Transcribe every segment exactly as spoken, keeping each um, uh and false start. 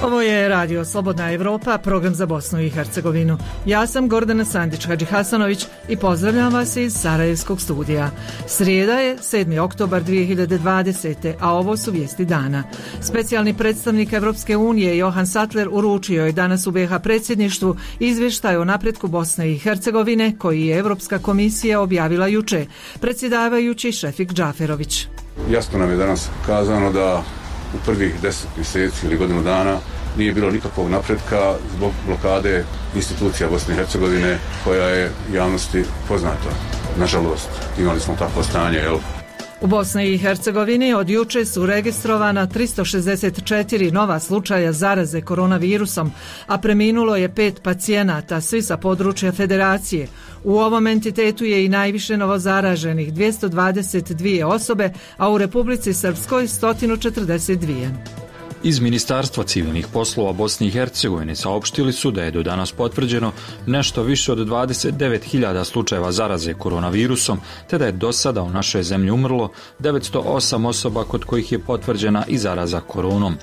Ovo je Radio Slobodna Evropa, program za Bosnu i Hercegovinu. Ja sam Gordana Sandić-Hadžihasanović i pozdravljam vas iz Sarajevskog studija. Srijeda je sedmi oktobar dvije hiljade dvadesete. a ovo su vijesti dana. Specijalni predstavnik Evropske unije Johan Sattler uručio je danas u be ha predsjedništvu izvještaj o napretku Bosne i Hercegovine koji je Evropska komisija objavila juče, predsjedavajući Šefik Džaferović. Jasno nam je danas kazano da u prvih deset mjeseci ili godinu dana nije bilo nikakvog napretka zbog blokade institucija Bosne i Hercegovine koja je javnosti poznata. Nažalost, imali smo takvo stanje, jel? U Bosni i Hercegovini od juče su registrovana tristo šezdeset četiri nova slučaja zaraze koronavirusom, a preminulo je pet pacijenata, svi sa područja federacije. U ovom entitetu je i najviše novozaraženih, dvjesto dvadeset dvije osobe, a u Republici Srpskoj sto četrdeset dvije. Iz Ministarstva civilnih poslova Bosne i Hercegovine saopštili su da je do danas potvrđeno nešto više od dvadeset devet hiljada slučajeva zaraze koronavirusom, te da je do sada u našoj zemlji umrlo devetsto osam osoba kod kojih je potvrđena i zaraza koronom.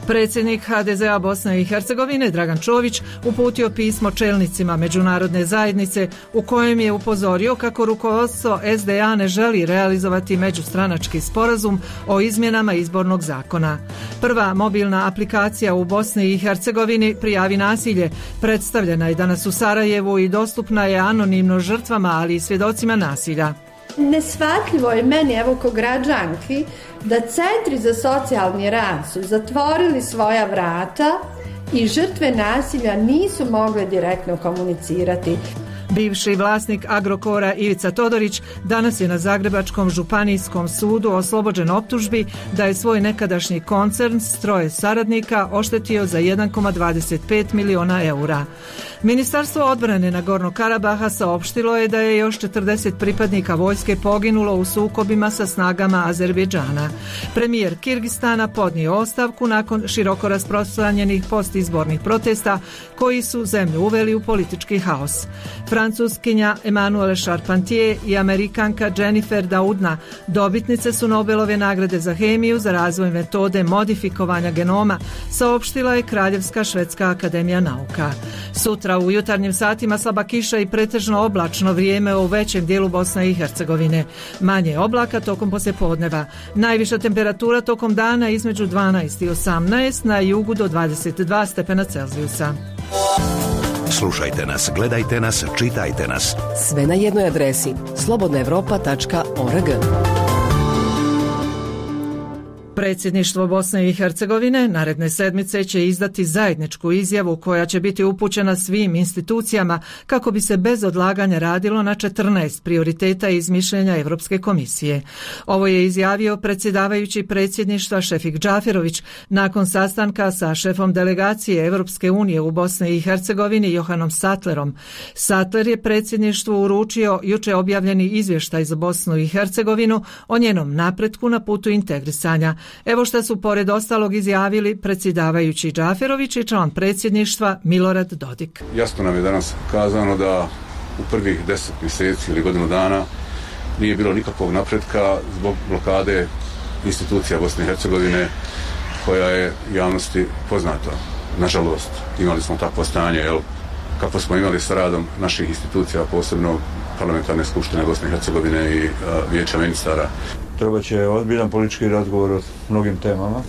Predsjednik ha de ze a Bosne i Hercegovine Dragan Čović uputio pismo čelnicima međunarodne zajednice u kojem je upozorio kako rukovodstvo es de a ne želi realizovati međustranački sporazum o izmjenama izbornog zakona. Prva mobilna aplikacija u Bosni i Hercegovini Prijavi nasilje predstavljena je danas u Sarajevu i dostupna je anonimno žrtvama, ali i svjedocima nasilja. Neshvatljivo je meni, evo ko građanki, da centri za socijalni rad su zatvorili svoja vrata i žrtve nasilja nisu mogle direktno komunicirati. Bivši vlasnik Agrokora Ivica Todorić danas je na Zagrebačkom županijskom sudu oslobođen optužbi da je svoj nekadašnji koncern s troje saradnika oštetio za jedan zarez dvadeset pet miliona eura. Ministarstvo odbrane Nagornog Karabaha saopštilo je da je još četrdeset pripadnika vojske poginulo u sukobima sa snagama Azerbejdžana. Premijer Kirgistana podnio ostavku nakon široko rasprostranjenih postizbornih protesta koji su zemlju uveli u politički haos. Francuskinja Emmanuelle Charpentier i Amerikanka Jennifer Doudna dobitnice su Nobelove nagrade za hemiju za razvoj metode modifikovanja genoma, saopštila je Kraljevska švedska akademija nauka. Sutra u jutarnjim satima slaba kiša i pretežno oblačno vrijeme u većem dijelu Bosne i Hercegovine. Manje oblaka tokom poslijepodneva. Najviša temperatura tokom dana između dvanaest i osamnaest, na jugu do dvadeset dva stepena Celzijusa. Slušajte nas, gledajte nas, čitajte nas. Sve na jednoj adresi slobodna evropa tačka org. Predsjedništvo Bosne i Hercegovine naredne sedmice će izdati zajedničku izjavu koja će biti upućena svim institucijama kako bi se bez odlaganja radilo na četrnaest prioriteta iz mišljenja Evropske komisije. Ovo je izjavio predsjedavajući predsjedništva Šefik Džaferović nakon sastanka sa šefom delegacije Evropske unije u Bosni i Hercegovini Johanom Sattlerom. Sattler je predsjedništvu uručio juče objavljeni izvještaj za Bosnu i Hercegovinu o njenom napretku na putu integrisanja. Evo šta su pored ostalog izjavili predsjedavajući Džaferović i član predsjedništva Milorad Dodik. Jasno nam je danas kazano da u prvih deset mjeseci ili godinu dana nije bilo nikakvog napretka zbog blokade institucija Bosne i Hercegovine koja je javnosti poznata. Nažalost, imali smo takvo stanje, jel? Kako smo imali sa radom naših institucija, posebno Parlamentarne skupštine Bosne i Hercegovine i a, Vijeća ministara. Treba će ozbiljan politički razgovor o mnogim temama.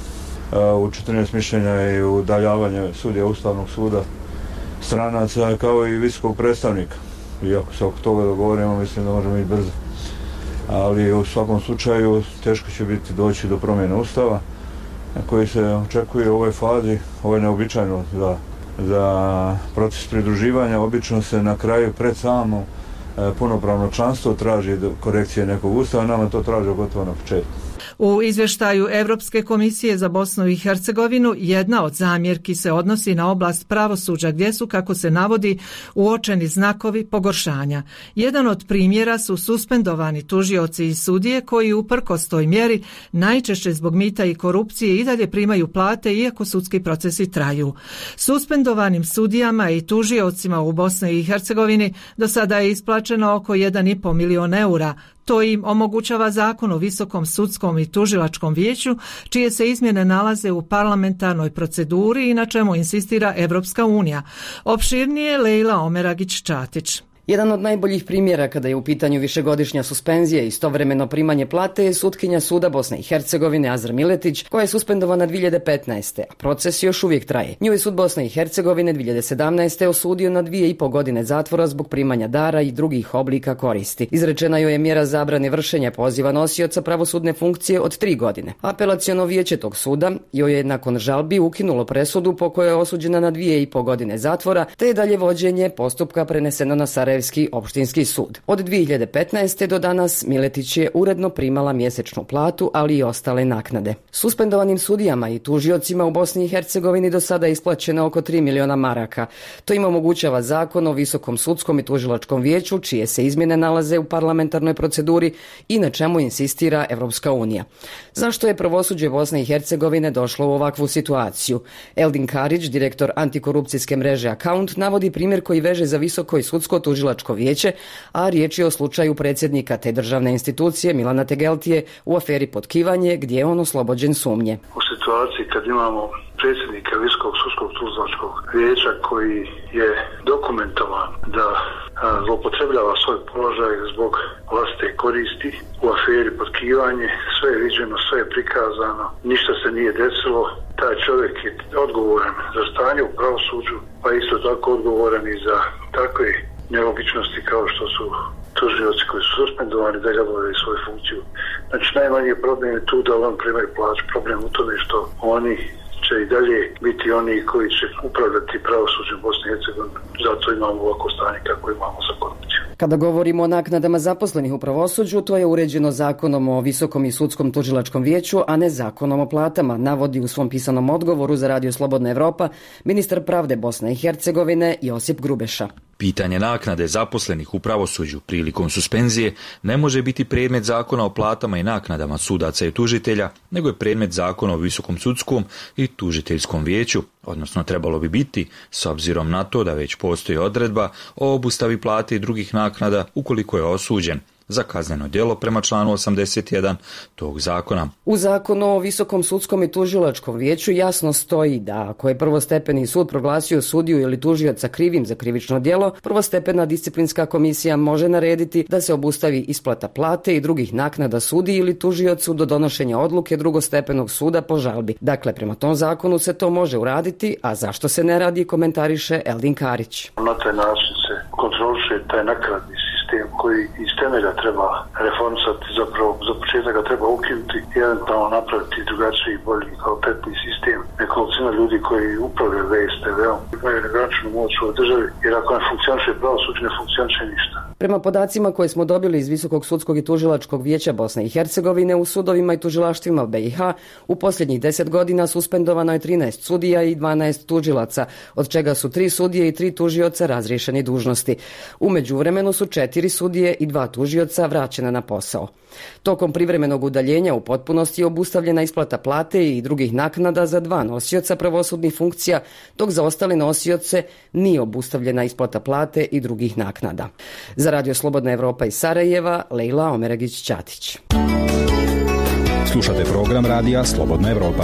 U četrnaest mišljenja i udaljavanje sudija Ustavnog suda, stranaca kao i visokog predstavnika. I ako se oko toga dogovorimo, mislim da možemo biti brzo. Ali u svakom slučaju teško će biti doći do promjene Ustava koji se očekuje u ovoj fazi. Ovo je neobičajno za, za proces pridruživanja. Obično se na kraju pred samo punopravno članstvo traži korekcije nekog ustava, nama to traži gotovo na početku. U izvještaju Europske komisije za Bosnu i Hercegovinu jedna od zamjerki se odnosi na oblast pravosuđa gdje su, kako se navodi, uočeni znakovi pogoršanja. Jedan od primjera su suspendovani tužioci i sudije koji uprkos toj mjeri najčešće zbog mita i korupcije i dalje primaju plate iako sudski procesi traju. Suspendovanim sudijama i tužiocima u Bosni i Hercegovini do sada je isplaćeno oko jedan i pol milion eura. To im omogućava Zakon o Visokom sudskom i tužilačkom vijeću, čije se izmjene nalaze u parlamentarnoj proceduri i na čemu insistira Evropska unija. Opširnije Lejla Omeragić-Čatić. Jedan od najboljih primjera kada je u pitanju višegodišnja suspenzija i istovremeno primanje plate je sutkinja suda Bosne i Hercegovine Azra Miletić, koja je suspendovana dvije hiljade petnaeste. a proces još uvijek traje. Nju je sud Bosne i Hercegovine dvije hiljade sedamnaeste. osudio na dvije i po godine zatvora zbog primanja dara i drugih oblika koristi. Izrečena joj je mjera zabrane vršenja poziva nosioca pravosudne funkcije od tri godine. Apelaciono vijeće tog suda joj je nakon žalbi ukinulo presudu po kojoj je osuđena na dvije i po godine zatvora, te je dalje vođenje postupka preneseno na Sarajevski opštinski sud. Od dvije hiljade petnaeste. do danas Miletić je uredno primala mjesečnu platu, ali i ostale naknade. Suspendovanim sudijama i tužiocima u Bosni i Hercegovini do sada je isplaćeno oko tri miliona maraka. To im omogućava Zakon o Visokom sudskom i tužilačkom vijeću, čije se izmjene nalaze u parlamentarnoj proceduri i na čemu insistira Evropska unija. Zašto je pravosuđe Bosne i Hercegovine došlo u ovakvu situaciju? Eldin Karić, direktor antikorupcijske mreže Account, navodi primjer koji veže za Visoko i sudsko tužilačko vijeće, a riječ je o slučaju predsjednika te državne institucije Milana Tegeltije u aferi Potkivanje, gdje je on oslobođen sumnje. U situaciji kad imamo predsjednika Visokog sudskog tužilačkog vijeća koji je dokumentovan da zloupotrebljava svoj položaj zbog vlastite koristi u aferi Potkivanje, sve je viđeno, sve je prikazano, ništa se nije desilo. Taj čovjek je odgovoran za stanje u pravosuđu, pa isto tako odgovoran i za takve nelogičnosti kao što su tužioci koji su suspendovani da obavljaju svoju funkciju. Znači najmanji problem je tu da on primaju plaću. Problem u tome što oni će i dalje biti oni koji će upravljati pravosuđem Bosne i Hercegovine. Zato imamo ovako stanje kako imamo sa korupcijom. Kada govorimo o naknadama zaposlenih u pravosuđu, to je uređeno Zakonom o Visokom i sudskom tužilačkom vijeću, a ne Zakonom o platama, navodi u svom pisanom odgovoru za Radio Slobodna Evropa ministar pravde Bosne i Hercegovine Josip Grubeša. Pitanje naknade zaposlenih u pravosuđu prilikom suspenzije ne može biti predmet Zakona o platama i naknadama sudaca i tužitelja, nego je predmet Zakona o Visokom sudskom i tužiteljskom vijeću, odnosno trebalo bi biti, s obzirom na to da već postoji odredba o obustavi plate i drugih naknada ukoliko je osuđen za kazneno djelo prema članu osamdeset jedan tog zakona. U Zakonu o Visokom sudskom i tužilačkom vijeću jasno stoji da ako je prvostepeni sud proglasio sudiju ili tužioca krivim za krivično djelo, prvostepena disciplinska komisija može narediti da se obustavi isplata plate i drugih naknada sudiji ili tužiocu do donošenja odluke drugostepenog suda po žalbi. Dakle, prema tom zakonu se to može uraditi, a zašto se ne radi, komentariše Eldin Karić. Na taj način se kontroliše taj naknadni sistem koji iz temelja treba reformisati, zapravo za početak ga treba ukinuti i eventualno napraviti drugačiji i bolji kvalitetni sistem. Nekolicina ljudi koji upravljaju V S T V-om imaju negraničnu moć u državi, jer ako ne funkcioniše pravosuđe, ne funkcioniše ništa. Prema podacima koje smo dobili iz Visokog sudskog i tužilačkog vijeća Bosne i Hercegovine, u sudovima i tužilaštvima B i H u posljednjih deset godina suspendovano je trinaest sudija i dvanaest tužilaca, od čega su tri sudije i tri tužioca razriješeni dužnosti. U međuvremenu su četiri sudije i dva tužioca vraćena na posao. Tokom privremenog udaljenja u potpunosti je obustavljena isplata plate i drugih naknada za dva nosioca pravosudnih funkcija, dok za ostale nosioce nije obustavljena isplata plate i drugih naknada. Za Radio Slobodna Evropa iz Sarajeva, Lejla Omeragić-Čatić. Slušate program Radija Slobodna Evropa.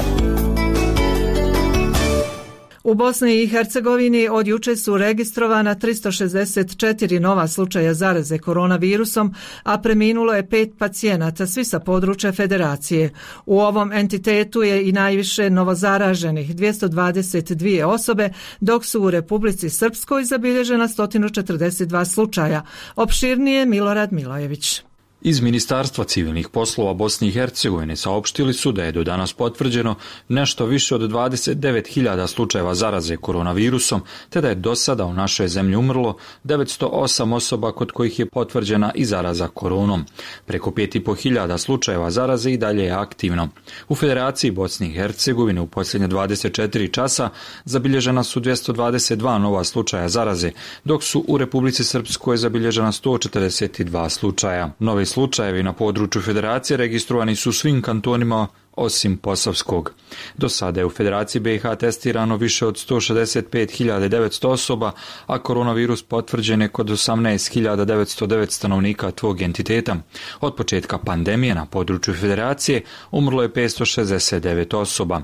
U Bosni i Hercegovini od juče su registrovana tristo šezdeset četiri nova slučaja zaraze koronavirusom, a preminulo je pet pacijenata, svi sa područja federacije. U ovom entitetu je i najviše novozaraženih, dvjesto dvadeset dvije osobe, dok su u Republici Srpskoj zabilježena sto četrdeset dva slučaja. Opširnije Milorad Milojević. Iz Ministarstva civilnih poslova Bosne i Hercegovine saopštili su da je do danas potvrđeno nešto više od dvadeset devet hiljada slučajeva zaraze koronavirusom, te da je do sada u našoj zemlji umrlo devetsto osam osoba kod kojih je potvrđena i zaraza koronom. Preko pet i po hiljada slučajeva zaraze i dalje je aktivno. U Federaciji Bosne i Hercegovine u posljednje dvadeset četiri časa zabilježena su dvjesto dvadeset dva nova slučaja zaraze, dok su u Republici Srpskoj zabilježena sto četrdeset dva slučaja. Novi slučajevi na području Federacije registrovani su u svim kantonima osim Posavskog. Do sada je u Federaciji B i H testirano više od sto šezdeset pet hiljada devetsto osoba, a koronavirus potvrđen je kod osamnaest hiljada devetsto devet stanovnika tog entiteta. Od početka pandemije na području Federacije umrlo je petsto šezdeset devet osoba.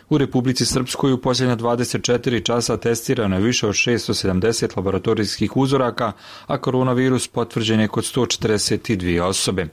U Republici Srpskoj u posljednja dvadeset četiri časa testirano je više od šesto sedamdeset laboratorijskih uzoraka, a koronavirus potvrđen je kod sto četrdeset dvije osobe.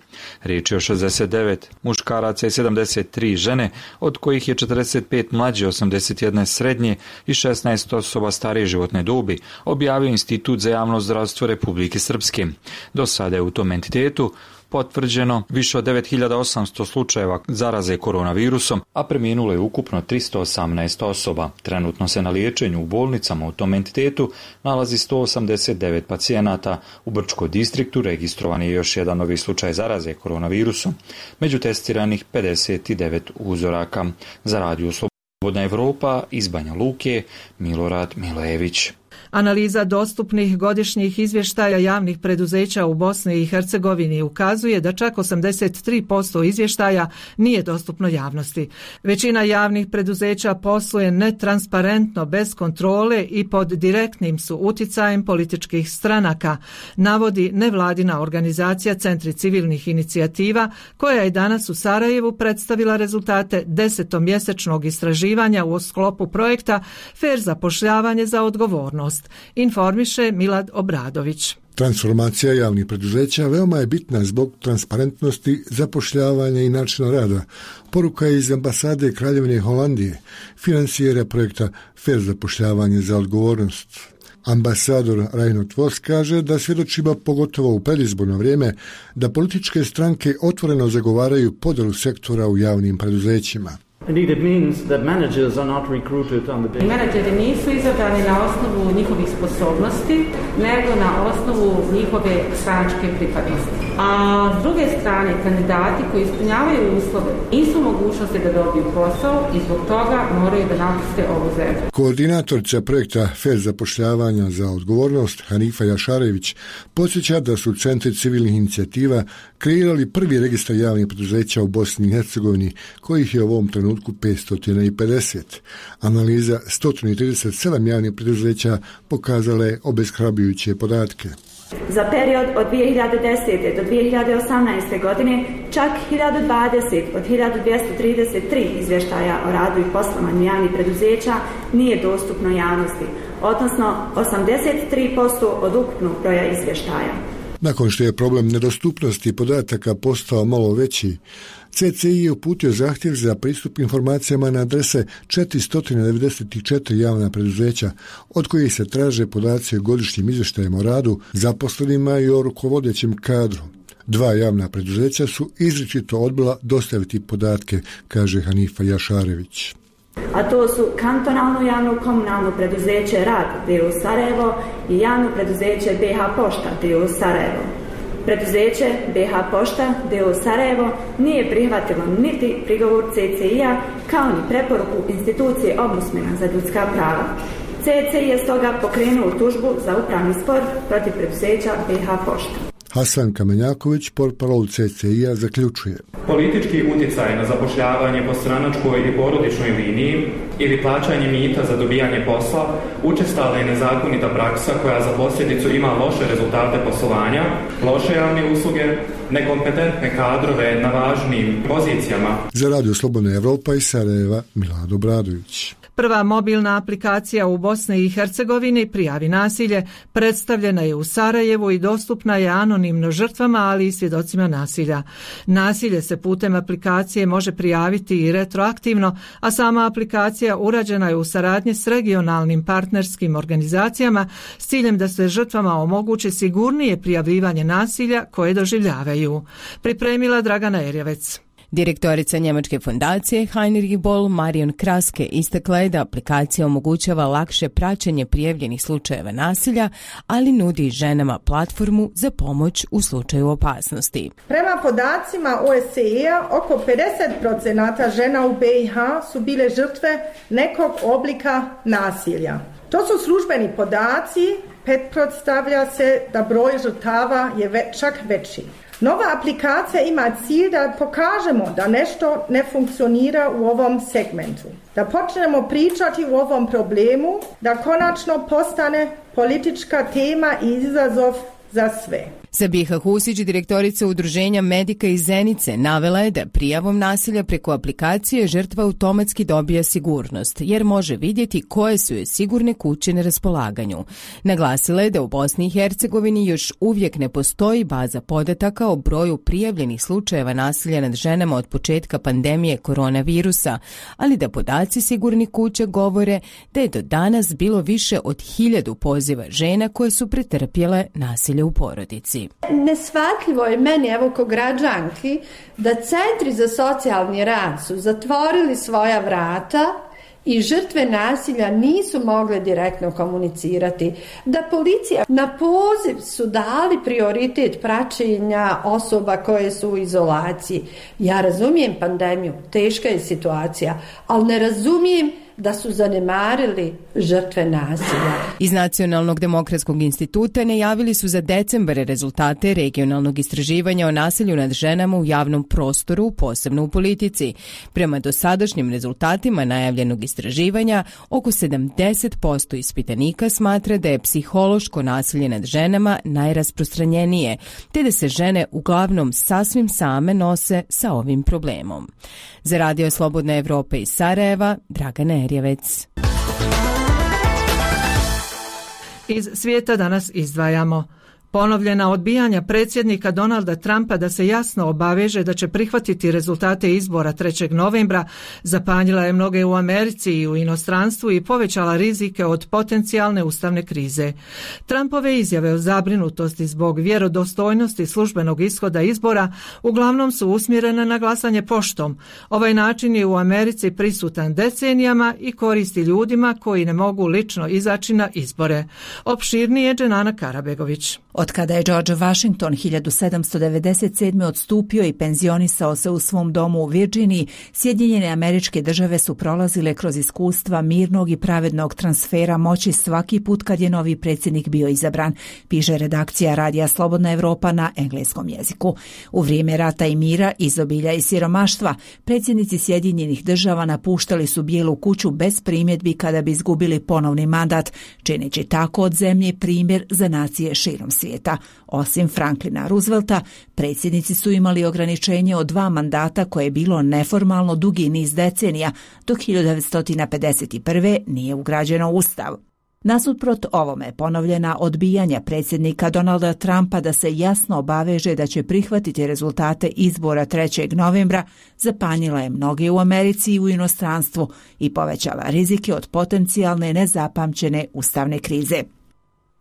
Riječ je o šezdeset devet muškaraca i sedamdeset tri žene, od kojih je četrdeset pet mlađe, osamdeset jedna srednje i šesnaest osoba starije životne dobi, objavio Institut za javno zdravstvo Republike Srpske. Do sada je u tom entitetu potvrđeno više od devet hiljada osamsto slučajeva zaraze koronavirusom, a preminulo je ukupno tristo osamnaest osoba. Trenutno se na liječenju u bolnicama u tom entitetu nalazi sto osamdeset devet pacijenata. U Brčkom distriktu registrovan je još jedan novi slučaj zaraze koronavirusom. Među testiranih pedeset devet uzoraka. Za Radio Slobodna Evropa iz Banja Luke, Milorad Milojević. Analiza dostupnih godišnjih izvještaja javnih preduzeća u Bosni i Hercegovini ukazuje da čak osamdeset tri posto izvještaja nije dostupno javnosti. Većina javnih preduzeća posluje netransparentno, bez kontrole i pod direktnim su uticajem političkih stranaka, navodi nevladina organizacija Centri civilnih inicijativa, koja je danas u Sarajevu predstavila rezultate desetomjesečnog istraživanja u sklopu projekta Fer zapošljavanje za odgovornost. Informiše Milad Obradović. Transformacija javnih preduzeća veoma je bitna zbog transparentnosti, zapošljavanja i načina rada. Poruka je iz ambasade Kraljevine Holandije, finansijera projekta Fer zapošljavanje za odgovornost. Ambasador Reinhard Voss kaže da svjedočimo, pogotovo u predizborno vrijeme, da političke stranke otvoreno zagovaraju podjelu sektora u javnim preduzećima. Indeed, it means that managers are not recruited on the basis. Menadžeri nisu izabrani na osnovu njihovih sposobnosti, nego na osnovu njihove stranačke pripadnosti. A s druge strane, kandidati koji ispunjavaju uslove nisu mogućnosti da dobiju posao i zbog toga moraju da napuste ovu zemlju. Koordinatorica projekta Fer zapošljavanja za odgovornost Hanifa Jašarević podsjeća da su Centri civilnih inicijativa kreirali prvi registar javnih preduzeća u Bosni i Hercegovini, kojih je u ovom trenutku petsto pedeset. Analiza sto trideset sedam javnih preduzeća pokazala je obeshrabrujuće podatke. Za period od dvije hiljade desete do dvije hiljade osamnaeste. godine čak hiljadu dvadeset od hiljadu dvjesto trideset tri izvještaja o radu i poslovanju javnih preduzeća nije dostupno javnosti, odnosno osamdeset tri posto od ukupnog broja izvještaja. Nakon što je problem nedostupnosti podataka postao malo veći, C C I je uputio zahtjev za pristup informacijama na adrese četiristo devedeset četiri javna preduzeća, od kojih se traže podaci o godišnjim izvještajima o radu, zaposlenima i o rukovodećem kadru. Dva javna preduzeća su izričito odbila dostaviti podatke, kaže Hanifa Jašarević. A to su kantonalno javno komunalno preduzeće Rad d o o Sarajevo i javno preduzeće B H Pošta d o o Sarajevo. Preduzeće B H Pošta d o o Sarajevo nije prihvatilo niti prigovor C C I-a kao ni preporuku institucije Ombudsmana za ljudska prava. C C I je stoga pokrenuo tužbu za upravni spor protiv preduzeća B H Pošta. Hasan Kamenjaković, portparol C C I-a, zaključuje. Politički utjecaj na zapošljavanje po stranačkoj i porodičnoj liniji ili plaćanje mita za dobijanje posla učestala je nezakonita praksa koja za posljedicu ima loše rezultate poslovanja, loše javne usluge, nekompetentne kadrove na važnim pozicijama. Za Radio Slobodna Evropa iz Sarajeva, Milad Obradović. Prva mobilna aplikacija u Bosni i Hercegovini Prijavi nasilje predstavljena je u Sarajevu i dostupna je anonimno žrtvama, ali i svjedocima nasilja. Nasilje se putem aplikacije može prijaviti i retroaktivno, a sama aplikacija urađena je u saradnji s regionalnim partnerskim organizacijama s ciljem da se žrtvama omogući sigurnije prijavljivanje nasilja koje doživljavaju. Pripremila Dragana Erjevec. Direktorica njemačke fondacije Heinrich Boll Marion Kraske istakla je da aplikacija omogućava lakše praćenje prijavljenih slučajeva nasilja, ali nudi ženama platformu za pomoć u slučaju opasnosti. Prema podacima O S C E-a, oko pedeset posto žena u B i H su bile žrtve nekog oblika nasilja. To su službeni podaci, pretpostavlja se da broj žrtava je ve, čak veći. Nova aplikacija ima cilj da pokažemo da nešto ne funkcionira u ovom segmentu, da počnemo pričati o ovom problemu, da konačno postane politička tema i izazov za sve. Sabiha Husić, direktorica udruženja Medika iz Zenice, navela je da prijavom nasilja preko aplikacije žrtva automatski dobija sigurnost, jer može vidjeti koje su joj sigurne kuće na raspolaganju. Naglasila je da u Bosni i Hercegovini još uvijek ne postoji baza podataka o broju prijavljenih slučajeva nasilja nad ženama od početka pandemije koronavirusa, ali da podaci sigurnih kuća govore da je do danas bilo više od hiljadu poziva žena koje su pretrpjele nasilje u porodici. Neshvatljivo je meni, evo ko građanki, da centri za socijalni rad su zatvorili svoja vrata i žrtve nasilja nisu mogle direktno komunicirati, da policija na poziv su dali prioritet praćenja osoba koje su u izolaciji. Ja razumijem pandemiju, teška je situacija, ali ne razumijem da su zanemarili žrtve nasilja. Iz Nacionalnog demokratskog instituta najavili su za decembar rezultate regionalnog istraživanja o nasilju nad ženama u javnom prostoru, posebno u politici. Prema dosadašnjim rezultatima najavljenog istraživanja, oko sedamdeset posto ispitanika smatra da je psihološko nasilje nad ženama najrasprostranjenije, te da se žene uglavnom sasvim same nose sa ovim problemom. Za Radio Slobodna Evropa iz Sarajeva, Dragana Erjevec. Iz svijeta danas izdvajamo ponovljena odbijanja predsjednika Donalda Trumpa da se jasno obaveže da će prihvatiti rezultate izbora trećeg novembra zapanjila je mnoge u Americi i u inostranstvu i povećala rizike od potencijalne ustavne krize. Trumpove izjave o zabrinutosti zbog vjerodostojnosti službenog ishoda izbora uglavnom su usmjerene na glasanje poštom. Ovaj način je u Americi prisutan decenijama i koristi ljudima koji ne mogu lično izaći na izbore. Opširnije Dženana Karabegović. Od kada je George Washington hiljadu sedamsto devedeset sedme odstupio i penzionisao se u svom domu u Virginiji, Sjedinjene Američke Države su prolazile kroz iskustva mirnog i pravednog transfera moći svaki put kad je novi predsjednik bio izabran, piše redakcija Radija Slobodna Evropa na engleskom jeziku. U vrijeme rata i mira, izobilja i siromaštva, predsjednici Sjedinjenih Država napuštali su Bijelu kuću bez primjedbi kada bi izgubili ponovni mandat, čineći tako od zemlje primjer za nacije širom svijeta. Osim Franklina Roosevelta, predsjednici su imali ograničenje od dva mandata koje je bilo neformalno dugi niz decenija, dok hiljadu devetsto pedeset prve nije ugrađeno u Ustav. Nasuprot ovome ponovljena odbijanja predsjednika Donalda Trumpa da se jasno obaveže da će prihvatiti rezultate izbora trećeg novembra zapanjila je mnoge u Americi i u inostranstvu i povećala rizike od potencijalne nezapamćene ustavne krize.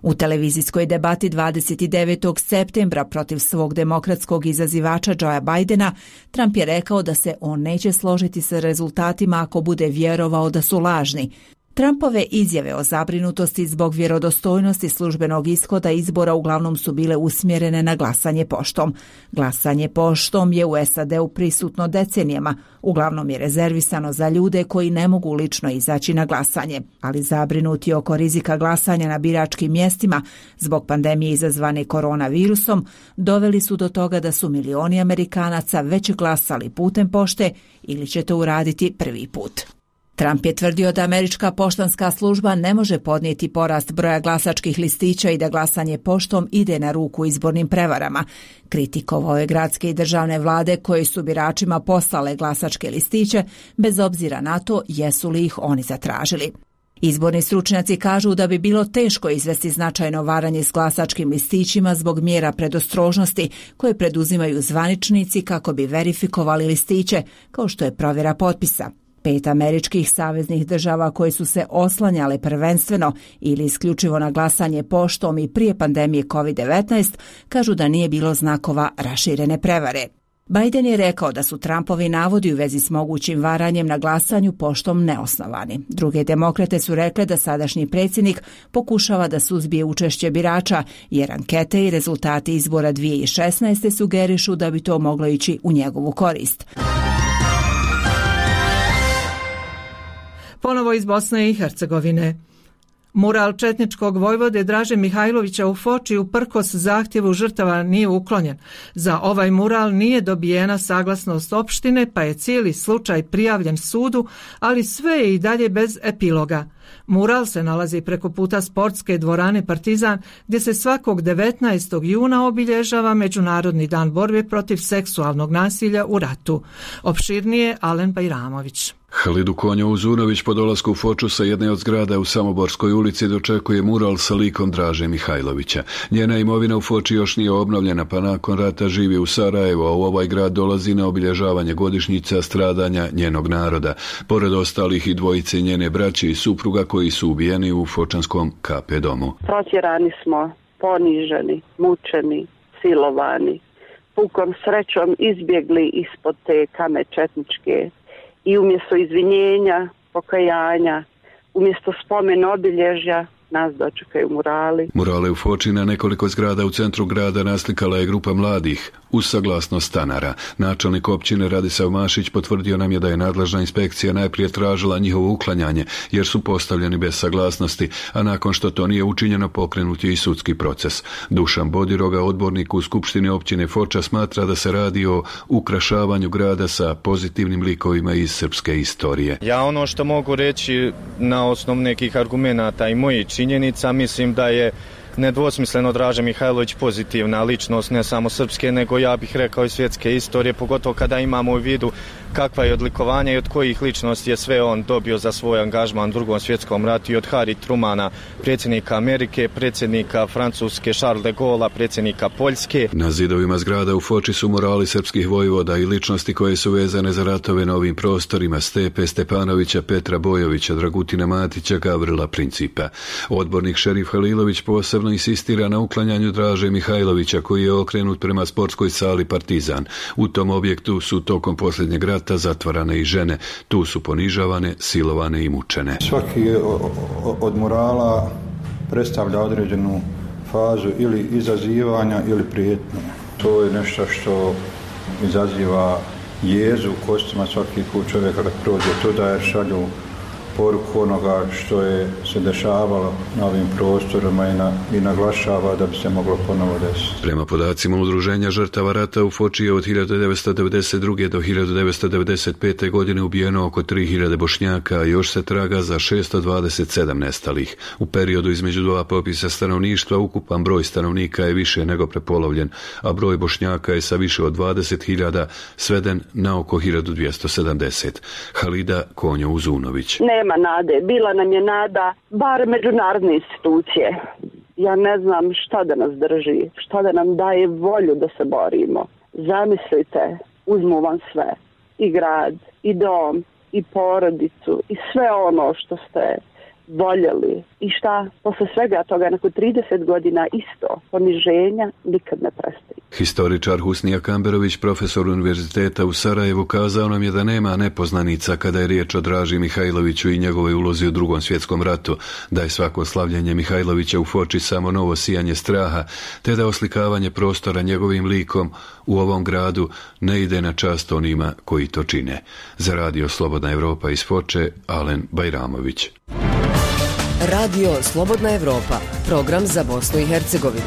U televizijskoj debati dvadeset devetog septembra protiv svog demokratskog izazivača Joea Bidena, Trump je rekao da se on neće složiti sa rezultatima ako bude vjerovao da su lažni. Trumpove izjave o zabrinutosti zbog vjerodostojnosti službenog ishoda izbora uglavnom su bile usmjerene na glasanje poštom. Glasanje poštom je u S A D-u prisutno decenijama, uglavnom je rezervisano za ljude koji ne mogu lično izaći na glasanje, ali zabrinuti oko rizika glasanja na biračkim mjestima zbog pandemije izazvane koronavirusom doveli su do toga da su milioni Amerikanaca već glasali putem pošte ili će to uraditi prvi put. Trump je tvrdio da američka poštanska služba ne može podnijeti porast broja glasačkih listića i da glasanje poštom ide na ruku izbornim prevarama. Kritikovao je gradske i državne vlade koje su biračima poslale glasačke listiće, bez obzira na to jesu li ih oni zatražili. Izborni stručnjaci kažu da bi bilo teško izvesti značajno varanje s glasačkim listićima zbog mjera predostrožnosti koje preduzimaju zvaničnici kako bi verifikovali listiće, kao što je provjera potpisa. Pet američkih saveznih država koje su se oslanjale prvenstveno ili isključivo na glasanje poštom i prije pandemije kovid devetnaest kažu da nije bilo znakova raširene prevare. Biden je rekao da su Trumpovi navodi u vezi s mogućim varanjem na glasanju poštom neosnovani. Druge demokrate su rekle da sadašnji predsjednik pokušava da suzbije učešće birača, jer ankete i rezultati izbora dvije tisuće šesnaeste. sugerišu da bi to moglo ići u njegovu korist. Ponovo iz Bosne i Hercegovine. Mural četničkog vojvode Draže Mihajlovića u Foči uprkos zahtjevu žrtava nije uklonjen. Za ovaj mural nije dobijena saglasnost opštine, pa je cijeli slučaj prijavljen sudu, ali sve je i dalje bez epiloga. Mural se nalazi preko puta sportske dvorane Partizan, gdje se svakog devetnaestog juna obilježava Međunarodni dan borbe protiv seksualnog nasilja u ratu. Opširnije Alen Bajramović. Halidu Konja Uzunović po dolasku u Foču sa jedne od zgrada u Samoborskoj ulici dočekuje mural sa likom Draže Mihajlovića. Njena imovina u Foči još nije obnovljena, pa nakon rata živi u Sarajevu, a u ovaj grad dolazi na obilježavanje godišnjica stradanja njenog naroda. Pored ostalih i dvojice njene braće i supruga koji su ubijeni u fočanskom K P domu. Protjerani smo, poniženi, mučeni, silovani. Pukom srećom izbjegli ispod te kame četničke. I umjesto izvinjenja, pokajanja, umjesto spomen obilježja, nas dočekaju murali. Murale u Foči na nekoliko zgrada u centru grada naslikala je grupa mladih uz saglasnost stanara. Načelnik općine Radisav Mašić potvrdio nam je da je nadležna inspekcija najprije tražila njihovo uklanjanje jer su postavljeni bez saglasnosti, a nakon što to nije učinjeno pokrenut je i sudski proces. Dušan Bodiroga, odbornik u Skupštini općine Foča, smatra da se radi o ukrašavanju grada sa pozitivnim likovima iz srpske istorije. Ja ono što mogu reći na osnovu nekih argumenata i mojih činjenica, mislim da je nedvosmisleno Draža Mihajlović pozitivna ličnost, ne samo srpske, nego ja bih rekao i svjetske istorije, pogotovo kada imamo u vidu kakva je odlikovanja i od kojih ličnosti je sve on dobio za svoj angažman u drugom svjetskom ratu, i od Harry Trumana, predsjednika Amerike, predsjednika Francuske Charles de Gaulle, predsjednika Poljske. Na zidovima zgrada u Foči su murali srpskih vojvoda i ličnosti koje su vezane za ratove na ovim prostorima: Stepe Stepanovića, Petra Bojovića, Dragutina Matića, Gavrila Principa. Odbornik Šerif Halilović posebno insistira na uklanjanju Draže Mihajlovića, koji je okrenut prema sportskoj sali Partizan. U tom objektu su tokom posljednjeg rata zatvarane i žene. Tu su ponižavane, silovane i mučene. Svaki od murala predstavlja određenu fazu ili izazivanja ili prijetnje. To je nešto što izaziva jezu u kostima svaki put čovjeka kad prođe tuda, jer šalju poruku onoga što je se dešavalo na ovim prostorima i, na, i naglašava da bi se moglo ponovo desiti. Prema podacima Udruženja žrtava rata u Foči je od hiljadu devetsto devedeset druge. do hiljadu devetsto devedeset pete. godine ubijeno oko tri hiljade Bošnjaka, a još se traga za šesto dvadeset sedam nestalih. U periodu između dva popisa stanovništva ukupan broj stanovnika je više nego prepolovljen, a broj Bošnjaka je sa više od dvadeset hiljada sveden na oko hiljadu dvjesto sedamdeset. Halida Konja Uzunović. Nema nade. Bila nam je nada, bar međunarodne institucije. Ja ne znam šta da nas drži, šta da nam daje volju da se borimo. Zamislite, uzmu vam sve. I grad, i dom, i porodicu, i sve ono što ste voljeli. I šta, posle svega toga, nakon trideset godina isto, poniženja nikad ne prestaje. Historičar Husnija Kamberović, profesor univerziteta u Sarajevu, kazao nam je da nema nepoznanica kada je riječ o Draži Mihajloviću i njegovoj ulozi u drugom svjetskom ratu, da je svako slavljenje Mihajlovića u Foči samo novo sijanje straha, te da oslikavanje prostora njegovim likom u ovom gradu ne ide na čast onima koji to čine. Za radio Slobodna Evropa iz Foče, Alen Bajramović. Radio Slobodna Evropa, program za Bosnu i Hercegovinu.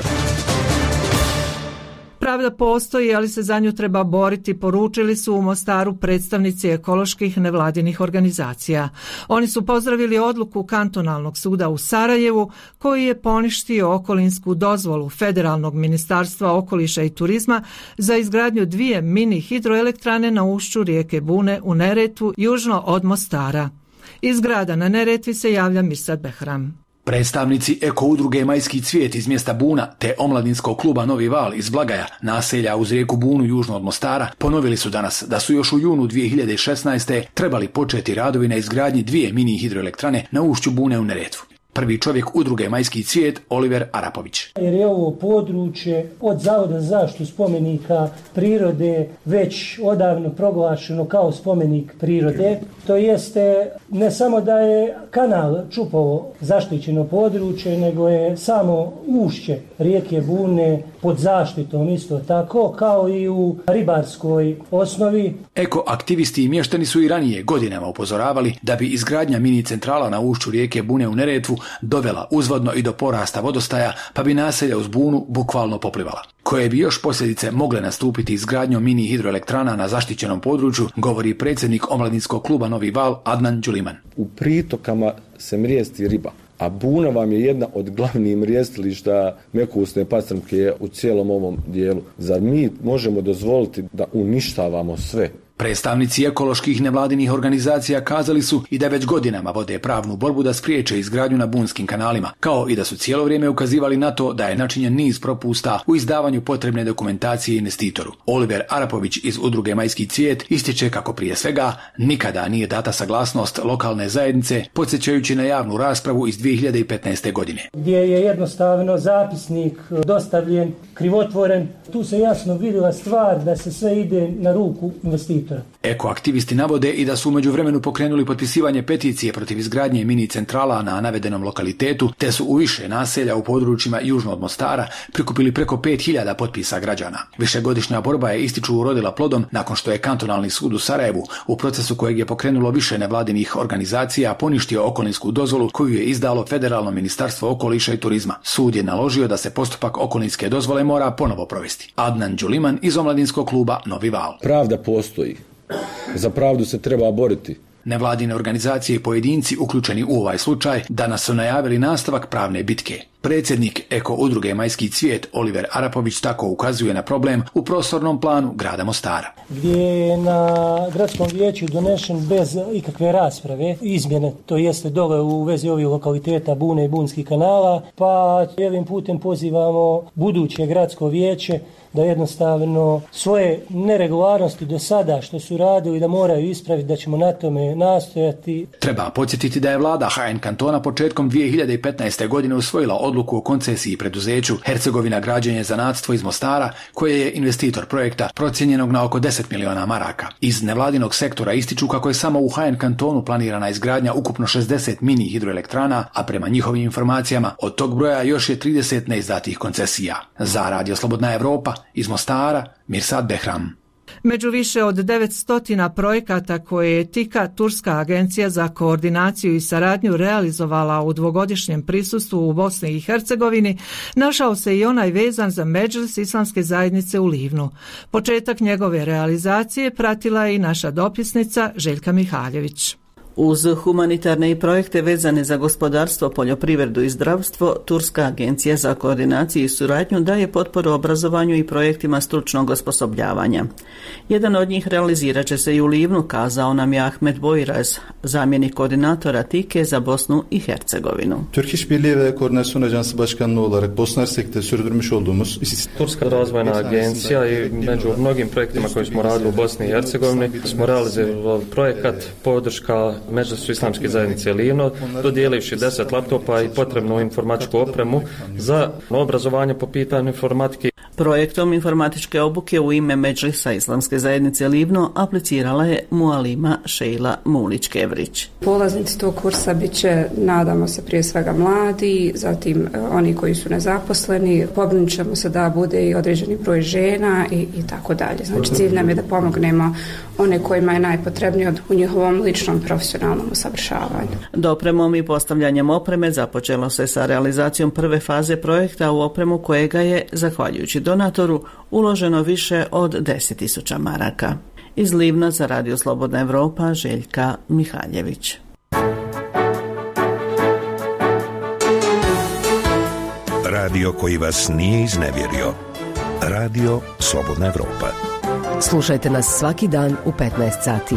Pravda postoji, ali se za nju treba boriti, poručili su u Mostaru predstavnici ekoloških nevladinih organizacija. Oni su pozdravili odluku Kantonalnog suda u Sarajevu, koji je poništio okolinsku dozvolu Federalnog ministarstva okoliša i turizma za izgradnju dvije mini hidroelektrane na ušću rijeke Bune u Neretvu, južno od Mostara. Iz grada na Neretvi se javlja Mirsad Behram. Predstavnici eko udruge Majski cvijet iz mjesta Buna te omladinskog kluba Novi Val iz Blagaja, naselja uz rijeku Bunu južno od Mostara, ponovili su danas da su još u junu dvije hiljade šesnaeste. trebali početi radovi na izgradnji dvije mini hidroelektrane na ušću Bune u Neretvu. Prvi čovjek udruge Majski cvijet, Oliver Arapović. Jer je ovo područje od Zavoda za zaštitu spomenika prirode već odavno proglašeno kao spomenik prirode. To jeste ne samo da je kanal Čupovo zaštićeno područje, nego je samo ušće rijeke Bune pod zaštitom isto tako, kao i u ribarskoj osnovi. Eko aktivisti i mještani su i ranije godinama upozoravali da bi izgradnja mini centrala na ušću rijeke Bune u Neretvu dovela uzvodno i do porasta vodostaja, pa bi naselja uz Bunu bukvalno poplivala. Koje bi još posljedice mogle nastupiti izgradnjom mini hidroelektrana na zaštićenom području, govori predsjednik omladinskog kluba Novi Val Adnan Đuliman. U pritokama se mrijesti riba, a Buna vam je jedna od glavnih mrijestilišta mekusne pastrmke u cijelom ovom dijelu. Zar mi možemo dozvoliti da uništavamo sve? Predstavnici ekoloških nevladinih organizacija kazali su i da već godinama vode pravnu borbu da spriječe izgradnju na bunskim kanalima, kao i da su cijelo vrijeme ukazivali na to da je načinjen niz propusta u izdavanju potrebne dokumentacije investitoru. Oliver Arapović iz udruge Majski cvijet ističe kako prije svega nikada nije data saglasnost lokalne zajednice, podsjećajući na javnu raspravu iz dvije hiljade petnaeste. godine. Gdje je jednostavno zapisnik dostavljen krivotvoren, tu se jasno vidjela stvar da se sve ide na ruku investitora. Ekoaktivisti navode i da su u međuvremenu pokrenuli potpisivanje peticije protiv izgradnje mini centrala na navedenom lokalitetu, te su u više naselja u područjima južno od Mostara prikupili preko pet hiljada potpisa građana. Višegodišnja borba je, ističu, urodila plodom nakon što je Kantonalni sud u Sarajevu, u procesu kojeg je pokrenulo više nevladinih organizacija, poništio okolinsku dozvolu koju je izdalo Federalno ministarstvo okoliša i turizma. Sud je naložio da se postupak okolinske dozvole mora ponovo provesti. Adnan Đuliman iz omladinskog kluba Novi Val. Pravda postoji. Za pravdu se treba boriti. Nevladine organizacije i pojedinci uključeni u ovaj slučaj danas su najavili nastavak pravne bitke. Predsjednik eko udruge Majski cvijet Oliver Arapović tako ukazuje na problem u prostornom planu grada Mostara. Gdje je na gradskom vijeću donešen bez ikakve rasprave izmjene, to jeste dole u vezi ovih lokaliteta Bune i Bunskih kanala, pa ovim putem pozivamo buduće gradsko vijeće da jednostavno svoje neregularnosti do sada što su radili da moraju ispraviti, da ćemo na tome nastojati. Treba podsjetiti da je vlada H N kantona početkom dvije hiljade petnaeste. godine usvojila odluku o koncesiji preduzeću Hercegovina građenje zanatstvo iz Mostara, koje je investitor projekta procijenjenog na oko deset miliona maraka. Iz nevladinog sektora ističu kako je samo u H N kantonu planirana izgradnja ukupno šezdeset mini hidroelektrana, a prema njihovim informacijama od tog broja još je trideset neizdatih koncesija. Za Radio Slobodna Evropa iz Mostara, Mirsad Behram. Među više od devetsto projekata koje je TIKA, Turska agencija za koordinaciju i saradnju, realizovala u dvogodišnjem prisustvu u Bosni i Hercegovini, našao se i onaj vezan za Medžlis Islamske zajednice u Livnu. Početak njegove realizacije pratila je i naša dopisnica Željka Mihaljević. Uz humanitarne i projekte vezane za gospodarstvo, poljoprivredu i zdravstvo, Turska agencija za koordinaciju i suradnju daje potporu obrazovanju i projektima stručnog osposobljavanja. Jedan od njih realizirat će se i u Livnu, kazao nam je Ahmet Bojraz, zamjenik koordinatora TİKE za Bosnu i Hercegovinu. Türk İşbirliği ve Koordinasyon Ajansı Başkanlığı olarak Bosna Hersek'te sürdürmüş olduğumuz Turska razvojna agencija i među mnogim projektima koje smo radili u Bosni i Hercegovini smo realizirali projekat podrška Medžlisu Islamske zajednice Livno, dodijelivši deset laptopa i potrebnu informatičku opremu za obrazovanje po pitanju informatike. Projektom informatičke obuke u ime Medžlisa Islamske zajednice Livno aplicirala je Mualima Šejla Mulić-Kevrić. Polaznici tog kursa bit će, nadamo se, prije svega mladi, zatim oni koji su nezaposleni, pobrinut ćemo se da bude i određeni broj žena i, i tako dalje. Znači cilj nam je da pomognemo one kojima je najpotrebnije u njihovom ličnom profesionalnom usavršavanju. Dopremom i postavljanjem opreme započelo se sa realizacijom prve faze projekta u opremu kojega je, zahvaljujući donatoru uloženo više od deset tisuća maraka. Iz Livna za Radio Slobodna Evropa, Željka Mihaljević. Radio koji vas nije iznevjerio. Radio Slobodna Evropa. Slušajte nas svaki dan u petnaest sati.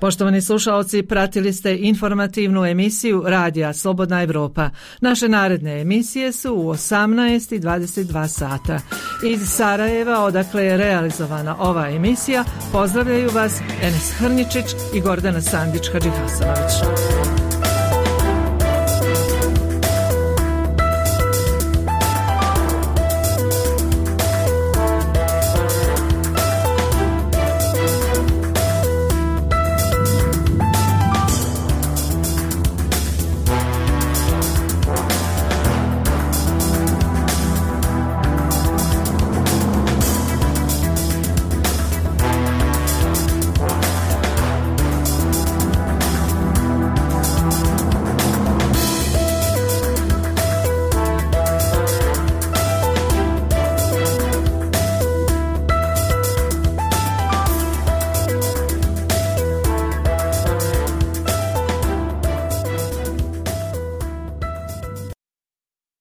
Poštovani slušaoci, pratili ste informativnu emisiju Radija Slobodna Evropa. Naše naredne emisije su u osamnaest i dvadeset dva sata. Iz Sarajeva, odakle je realizovana ova emisija, pozdravljaju vas Enes Hrničić i Gordana Sandić-Hadžihasanović.